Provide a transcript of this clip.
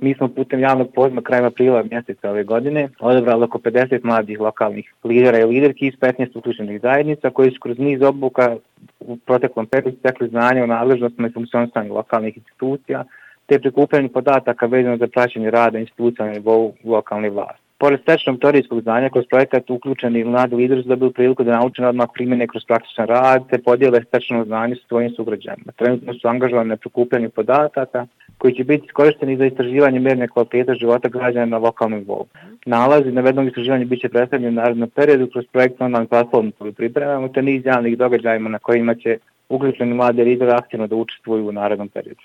Mi smo putem javnog poziva krajem aprila mjeseca ove godine odabrali oko 50 mladih lokalnih lidera i liderki iz 15 uključenih zajednica koji su kroz niz obuka u proteklom periodu stekli znanje o nadležnostima i funkcionisanju lokalnih institucija te prikupljanju podataka vezano za praćenje rada institucija na nivou lokalne vlasti. Pored stečenog teorijskog znanja, kroz projekat uključeni mladi lideri su dobili priliku da nauče odmah primjene kroz praktičan rad te podijele stečeno znanje sa svojim sugrađanima. Trenutno su angažovani na prikupljanju podataka koji će biti iskorišteni za istraživanje mjerne kvalitete života građana na lokalnom nivou. Nalazi navedenog istraživanja biće predstavljeni u narednom periodu kroz projekt online platformu koju pripremamo te niz javnih događajima na kojima će uključeni mladi lideri aktivno da učestvuju u narednom periodu.